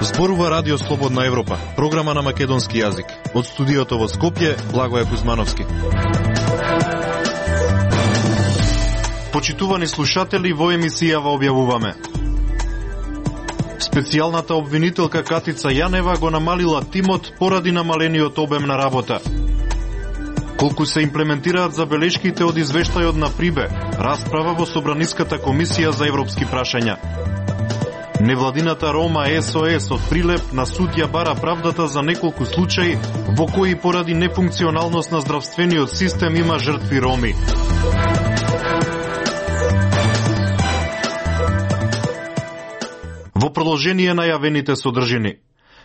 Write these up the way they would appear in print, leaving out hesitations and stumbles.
Зборува Радио Слободна Европа, програма на македонски јазик. Од студиото во Скопје, Благоје Кузмановски. Почитувани слушатели, во емисијава објавуваме: специјалната обвинителка Катица Јанева го намалила тимот поради намалениот обем на работа. Колку се имплементираат забелешките од извештајот на Прибе, расправа во Собраниската комисија за европски прашања. Невладината Рома СОС од Прилеп на суд ја бара правдата за неколку случаи во кои поради нефункционалност на здравствениот систем има жртви роми. Во продолжение на јавените содржини,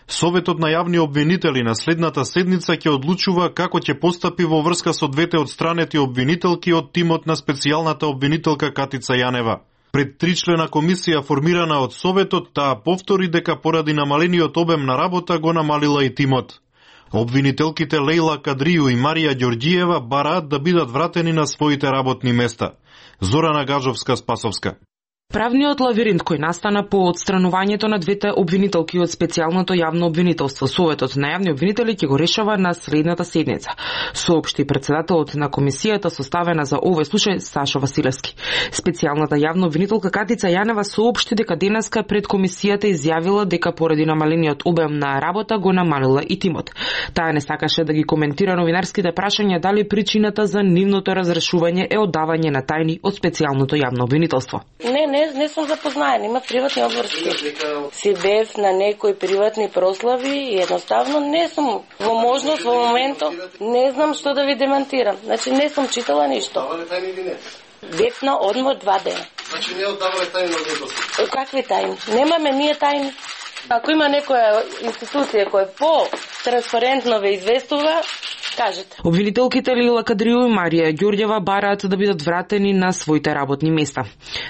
Советот на јавни обвинители на следната седница ќе одлучува како ќе постапи во врска со двете одстранети обвинителки од тимот на специјалната обвинителка Катица Јанева. Пред тричлена комисија формирана од Советот, таа повтори дека поради намалениот обем на работа го намалила и тимот. Обвинителките Лејла Кадрију и Марија Ѓорѓиева бараат да бидат вратени на своите работни места. Зорана Гажовска-Спасовска. Правниот лавиринт кој настана по отстранувањето на двете обвинителки од специјалното јавно обвинителство, Советот на јавни обвинители ќе го решава на следната седница, соопшти председателот на комисијата составена за овој случај Сашо Василевски. Специјалната јавна обвинителка Катица Јанева соопшти дека денеска пред комисијата изјавила дека поради намалениот обем на работа го намалила и тимот. Таа не сакаше да ги коментира новинарските прашања дали причината за нивното разрешување е оддавање на тајни од специјалното јавно обвинителство. Не сум запознаена, има приватни обврски. Си бев на некои приватни прослави и едноставно не сум во можност во моментот, не знам што да ви демантирам. Значи не сум читала ништо. Бев на одмор 2 дена. Значи не оддавале тајни на обвинителство. Какви тајни? Немаме ние тајни. Ако има некоја институција која по-транспарентно ве известува, кажете. Обвинителките Лејла Кадрију и Марија Ѓорѓева бараат да бидат вратени на своите работни места.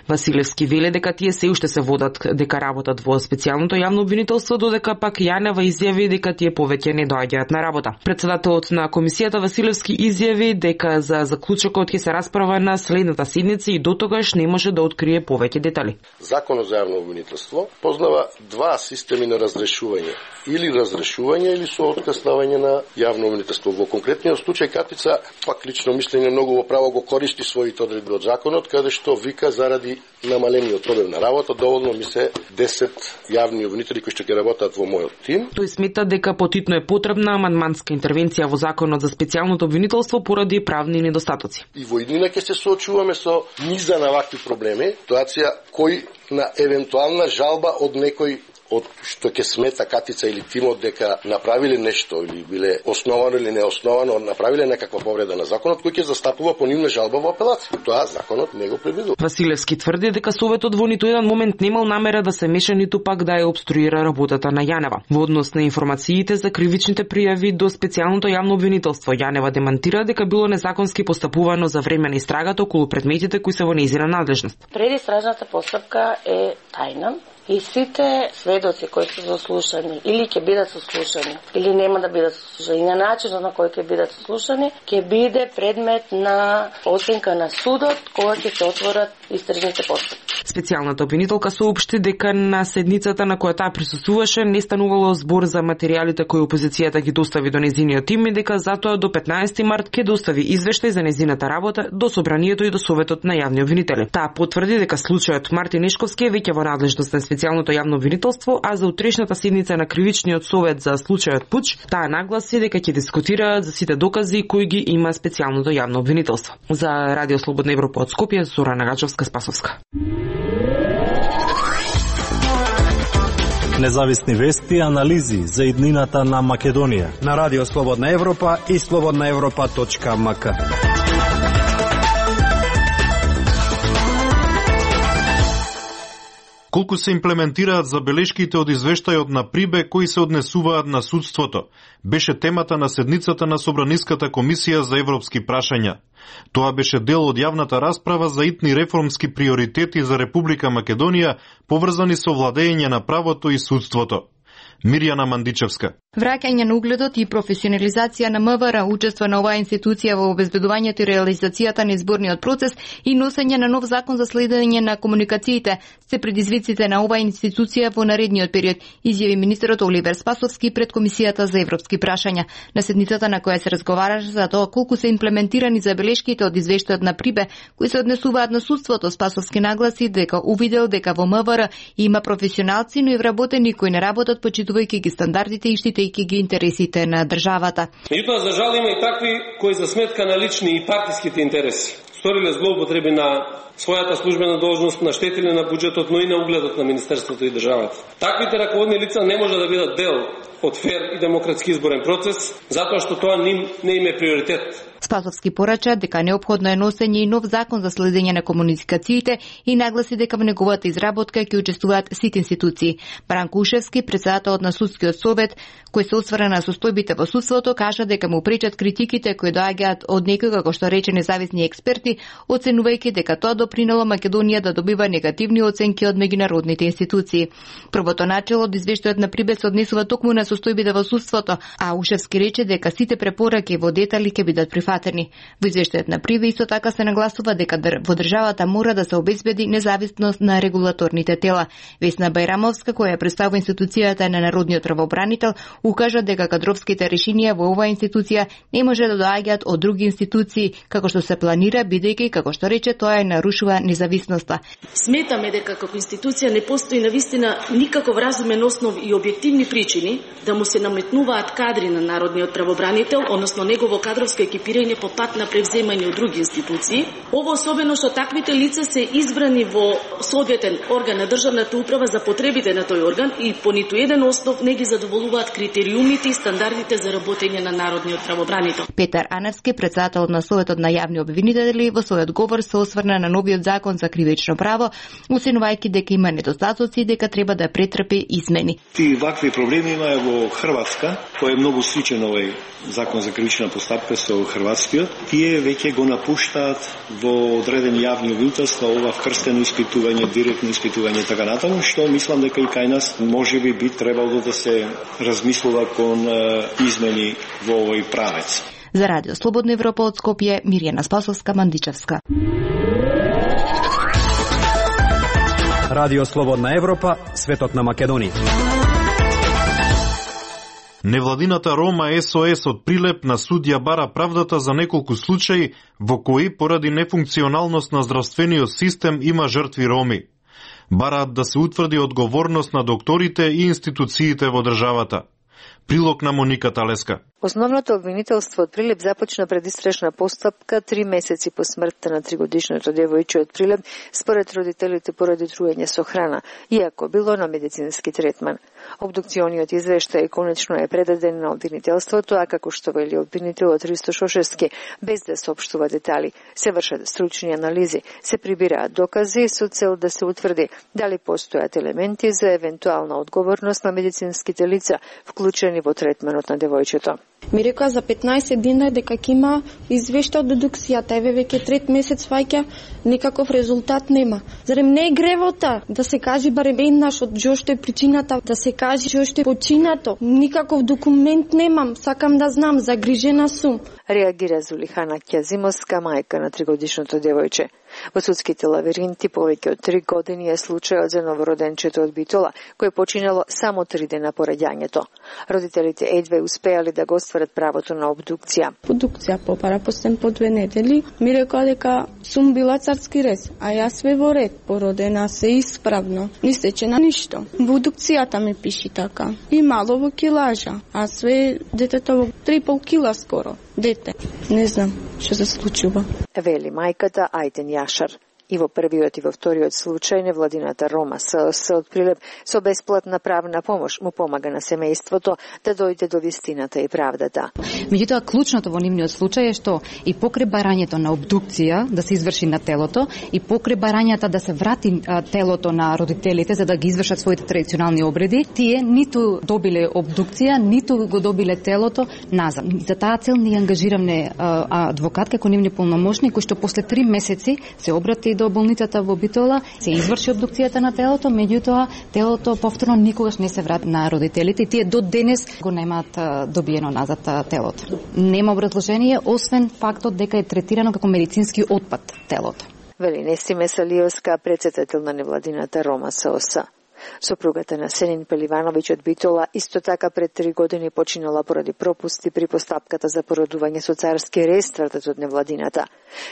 Василевски веле дека тие се уште се водат дека работат во специјалното јавно обвинителство, додека пак Јанева изјави дека тие повеќе не доаѓаат на работа. Председателот на комисијата Василевски изјави дека за заклучокот ќе се расправа на следната седница и дотогаш не може да открие повеќе детали. Законот за јавно обвинителство познава два системи на разрешување, или разрешување или со откаснување на јавно обвинителство. Во конкретниот случај Катица, пак лично мислење многу во право го користи своите одредби од законот, каде што вика заради намалениот обем на работа доволно ми се 10 јавни обвинители кои што ќе работат во мојот тим. Тој смета дека потитно е потребна амандманска интервенција во законот за специјалното обвинителство поради правни недостатоци. И во иднина ќе се соочуваме со низа на вакви проблеми, ситуација кој на евентуална жалба од некој од што ќе смета Катица или тимот дека направиле нешто или биле основано или неосновано, направиле некаква повреда на законот, кој ќе застапува по нивна жалба во апелација. Тоа законот не го предвидува. Василевски тврди дека Советот во ниту еден момент немал намера да се меша ниту пак да ја обструира работата на Јанева. Во однос на информациите за кривичните пријави до специјалното јавно обвинителство, Јанева демантира дека било незаконски постапувано за време на истрагата околу предметите кои се во нејзина надлежност. Предистражната постапка е тајна. И сите сведоци кои се заслушани или ќе бидат сослушани, или нема да бидат сослушани, на начинот на кој ќе бидат сослушани, ќе биде предмет на оценка на судот кога ќе се отворат истражните постапки. Специјалната обвинителка соопшти дека на седницата на која таа присуствуваше не станувало збор за материјалите кои опозицијата ги достави до незиниот тим и дека затоа до 15 март ќе достави извештај за незината работа до собранието и до Советот на јавни обвинители. Таа потврди дека случајот Мартин Нешковски е веќе во надлежност на специјалното јавно обвинителство, а за утрешната седница на кривичниот совет за случајот Пуч, таа нагласи дека ќе дискутираат за сите докази кои ги има специјалното јавно обвинителство. За Радио Слободна Европа од Скопје, Зорана Гажовска-Спасовска. Независни вести и анализи за иднината на Македонија на Радио Слободна Европа и slobodnaevropa.mk. Колку се имплементираат забелешките од извештајот на Прибе кои се однесуваат на судството, беше темата на седницата на Собраниската комисија за европски прашања. Тоа беше дел од јавната расправа за итни реформски приоритети за Република Македонија, поврзани со владење на правото и судството. Мирјана Мандичевска. Враќање на угледот и професионализација на МВР, учество на оваа институција во обезбедувањето и реализацијата на изборниот процес и носење на нов закон за следење на комуникациите се предизвиците на оваа институција во наредниот период, изјави министерот Оливер Спасовски пред Комисијата за европски прашања. На седницата на која се разговараше за тоа колку се имплементирани забелешките од извештајот на Прибе, кои се однесуваат на судството, Спасовски нагласи дека увидел дека во МВР има професионалци, но и вработени кои не работат почитувајќи ги стандардите и штитејќи ги интересите на државата. Меѓутоа, за жал има и такви кои за сметка на лични и партиските интереси сториле злоупотреби на својата службена должност, наштетиле на буџетот, но и на угледот на Министерството и државата. Таквите раководни лица не може да бидат дел од фер и демократски изборен процес, затоа што тоа не им е приоритет. Спасовски порача дека неопходно е носење и нов закон за следење на комуникациите и нагласи дека во неговата изработка ќе учествуваат сите институции. Бранко Ушевски, председателот на судскиот совет, кој се осврна на состојбите во судството, кажа дека му пречат критиките кои доаѓаат од некои, како што рече, независни експерти, оценувајќи дека тоа допринело Македонија да добива негативни оценки од меѓународните институции. Првото начело од извештајот на Прибе се однесува токму на состојбите во судството, а Ушевски рече дека сите препораки во детали ќе бидат прифатени. Во извештајот на Прибе исто така се нагласува дека во државата мора да се обезбеди независност на регулаторните тела. Весна Бајрамовска, која представува институцијата на Народниот правобранител, укажа дека кадровските решенија во оваа институција не може да доаѓаат од други институции, како што се планира, бидејќи, како што рече, тоа нарушува независноста. Сметаме дека како институција не постои навистина никаков разумен основ и објективни причини да му се наметнуваат кадри на Народниот правобранител, односно негово кадровско екипирање по пат на превземање од други институции. Ово особено што таквите лица се избрани во соодветен орган на државната управа за потребите на тој орган и по ниту еден основ не ги задоволуваат критериумите и стандардите за работење на Народниот правобранител. Петар Аневски, председател на Советот на јавни обвинители, во својот говор се осврна на новиот закон за кривично право, оценувајќи дека има недостатоци и дека треба да претрпи измени. Ти вакви проблеми има во Хрватска, кој е многу сличен овој закон за кривична постапка со хрватскиот. Тие веќе го напуштаат во одредени јавни обвинителства ова вкрстено испитување, директно испитување така натаму, што мислам дека и кај нас можеби би требало да се размислува кон измени во овој правец. За Радио Слободна Европа од Скопје, Мирјана Спасовска, Мандичевска. Радио Слободна Европа, светот на Македонија. Невладината Рома СОС од Прилеп на судија бара правдата за неколку случаи во кои поради нефункционалност на здравствениот систем има жртви роми. Бараат да се утврди одговорност на докторите и институциите во државата. Прилог на Моника Талеска. Основното обвинителство од Прилеп започна предистрашна постапка 3 месеци по смртта на 3-годишното девојче од Прилеп, според родителите поради труење со храна, иако било на медицински третман. Обдукциониот извештај конечно е предаден на обвинителството, а како што вели обвинителот Ристо Шошевски, без да соопштува детали, се вршат стручни анализи, се прибираат докази со цел да се утврди дали постојат елементи за евентуална одговорност на медицинските лица, вклучени во третманот на девојчето. Ми рекоа за 15 дена дека ќе има извештај од дедукцијата, еве веќе трет месец ваќа, никаков резултат нема. Зарем не е гревота да се кажи барем еднаш од што е причината, да се кажи што е починато. Никаков документ немам, сакам да знам, загрижена сум. Реагира Зулихана Ќазимовска, мајка на 3-годишното девојче. Во судските лавиринти повеќе од 3 години е случајот за новороденчето од Битола, кој починало само 3 дена по раѓањето. Родителите едве успеале да го остварат правото на обдукција. Обдукција попара постен по 2 недели. Ми рекоа дека сум била царски рез, а јас све во ред, породена се исправно. Не стечена ништо. Во обдукцијата ми пиши така. И мало во килажа, а све детето во 3,5 кила скоро. Дете. Не знам што се случува. Вели мајката Ајден Јашар. И во првиот и во вториот случај невладината Рома СОС од Прилеп со бесплатна правна помош му помага на семејството да дојде до вистината и правдата. Меѓутоа, клучното во нивниот случај е што и покрај барањето на обдукција да се изврши на телото и покрај барањата да се врати телото на родителите за да ги извршат своите традиционални обреди, тие ниту добиле обдукција, ниту го добиле телото назад. За таа цел ни ангажиравме адвокат како нивни полномошник кој што после 3 месеци се обрати до болницата во Битола, се изврши обдукцијата на телото, меѓутоа телото повторно никогаш не се врати на родителите и тие до денес го немаат добиено назад телото. Нема образложение освен фактот дека е третирано како медицински отпад телото. Вели Несиме Салиевска, председател на невладината Рома СОС. Сопругата на Сенин Пеливановиќ од Битола исто така пред 3 години починала поради пропусти при постапката за породување со царски рез, тврдат од невладината.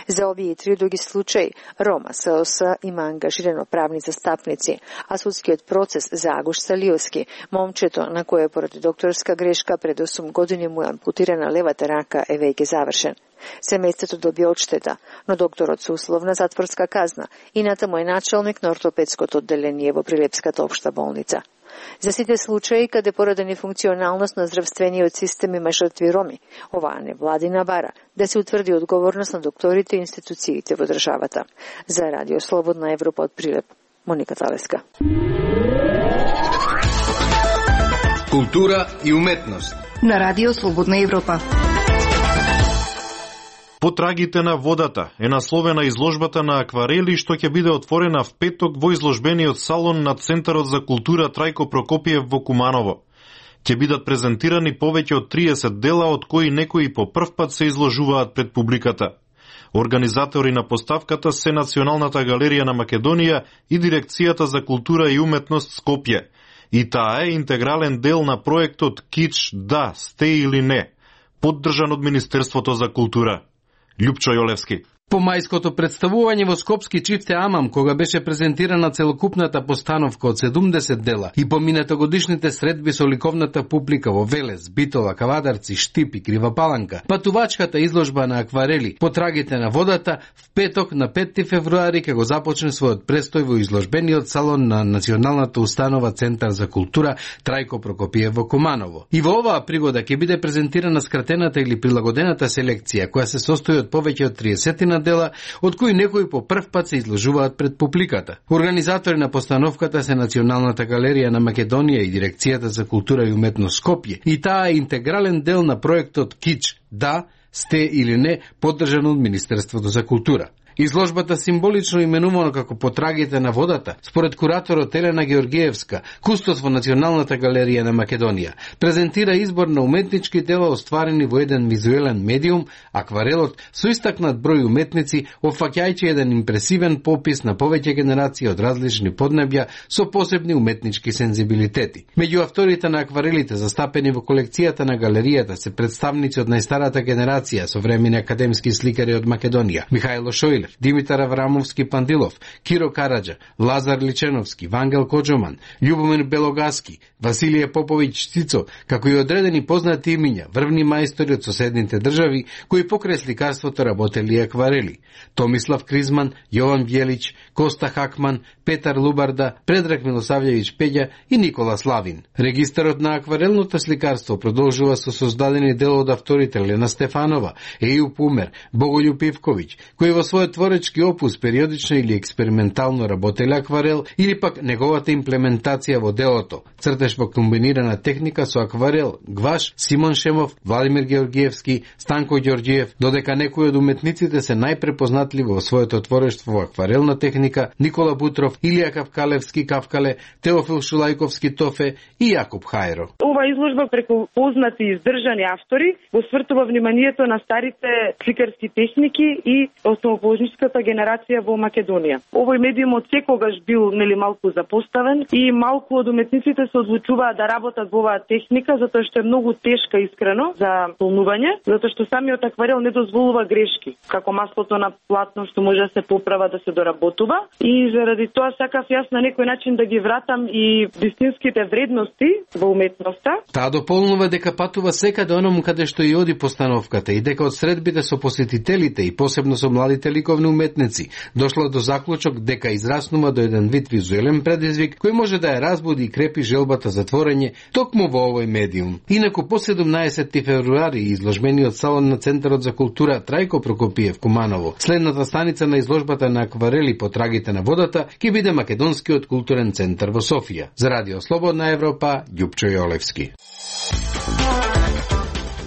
За овие 3 други случаи Рома СОС има ангажирано правни застапници, а судскиот процес за Агуш Салиевски, момчето на кое поради докторска грешка пред 8 години му е ампутирана левата рака, е веќе завршен. Семејството доби одштета, но докторот со условна затворска казна и натаму е началник на ортопедското одделение во Прилепската општа болница. За сите случаи каде поради нефункционалност на здравствениот систем има жртви роми, оваа невладина бара да се утврди одговорност на докторите и институциите во државата. За Радио Слободна Европа од Прилеп, Моника Талеска. Култура и уметност на Радио Слободна Европа. Потрагите на водата е насловена изложбата на акварели што ќе биде отворена в петок во изложбениот салон на Центарот за култура Трајко Прокопиев во Куманово. Ќе бидат презентирани повеќе од 30 дела, од кои некои по прв пат се изложуваат пред публиката. Организатори на поставката се Националната галерија на Македонија и Дирекцијата за култура и уметност Скопје. И таа е интегрален дел на проектот Кич, да, сте или не, поддржан од Министерството за култура. Љупчо Јолевски. По мајското представување во Скопски чифте Амам, кога беше презентирана целокупната постановка од 70 дела и поминатогодишните средби со ликовната публика во Велес, Битола, Кавадарци, Штип и Крива Паланка, патувачката изложба на акварели Потрагите на водата в петок на 5 февруари ќе го започне својот престој во изложбениот салон на Националната установа Центар за култура Трајко Прокопиев во Куманово. И во оваа пригода ќе биде презентирана скратената или прилагодената селекција, која се состои од повеќе од 30 дела, од кои некои по прв пат се изложуваат пред публиката. Организатори на постановката се Националната галерија на Македонија и Дирекцијата за култура и уметност Скопје. И таа е интегрален дел на проектот Кич, да, сте или не, поддржан од Министерството за култура. Изложбата символично именувано како Потрагите на водата, според кураторот Елена Георгиевска, кустос во Националната галерија на Македонија, презентира избор на уметнички дела остварени во еден визуелен медиум, акварелот, со истакнат број уметници, опфаќајќи еден импресивен попис на повеќе генерации од различни поднебја со посебни уметнички сензибилитети. Меѓу авторите на акварелите застапени во колекцијата на галеријата се представници од најстарата генерација современи академски сликари од Македонија: Михајло Шојлев, Димитар Аврамовски Пандилов, Киро Караджа, Лазар Личеновски, Вангел Коджоман, Љубомир Белогаски, Василije Поповиќ Цицо, како и одредени познати имиња, врвни мајстори од соседните држави, кои покрај сликарството работели акварели: Томислав Кризман, Јован Бјелич, Коста Хакман, Петар Лубарда, Предраг Милосављевиќ Пеѓа и Никола Славин. Регистарот на акварелното сликарство продолжува со создадени дел од авторите Лена Стефанова, Ејуп Умер, Боголјуб Ивковиќ, кои во својот творечки опус периодично или експериментално работеле акварел, или пак неговата имплементација во делото, цртеж во комбинирана техника со акварел, гваш, Симон Шемов, Владимир Георгиевски, Станко Ѓорѓиев, додека некои од уметниците се најпрепознатливи во своето творештво во акварелна техника: Никола Бутров, Илија Кавкалевски Кавкале, Теофил Шулајковски Тофе и Јакуб Хајро. Ова изложба преку познати и издржани автори го свртува вниманието на старите сликарски техники и основоположничката генерација во Македонија. Овој медиум од секогаш бил малку запоставен и малку од уметниците се одлучуваат да работат во оваа техника затоа што е многу тешка искрено за полнување, затоа што самиот акварел не дозволува грешки, како маслото на платно што може да се поправа, да се доработува, и заради тоа сакав јас на некој начин да ги вратам и вистинските вредности во уметноста. Таа дополнува дека патува секаде оному каде што и оди постановката и дека од средбите со посетителите и посебно со младите ликовни уметници дошла до заклучок дека израснува до еден вид визуелен предизвик кој може да ја разбуди и крепи желбата за творење токму во овој медиум. Инаку по 17 февруари изложбениот салон на Центарот за култура Трајко Прокопиев Куманово, следната станица на изложбата на акварели Потрагите на водата, ќе биде Македонскиот културен центар во Софија. За Радио Слободна Европа, Љупчо Јолевски.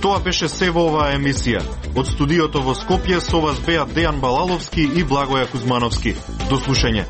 Тоа беше се во оваа емисија. Од студиото во Скопје со вас беа Дејан Балаловски и Благоја Кузмановски. До слушање.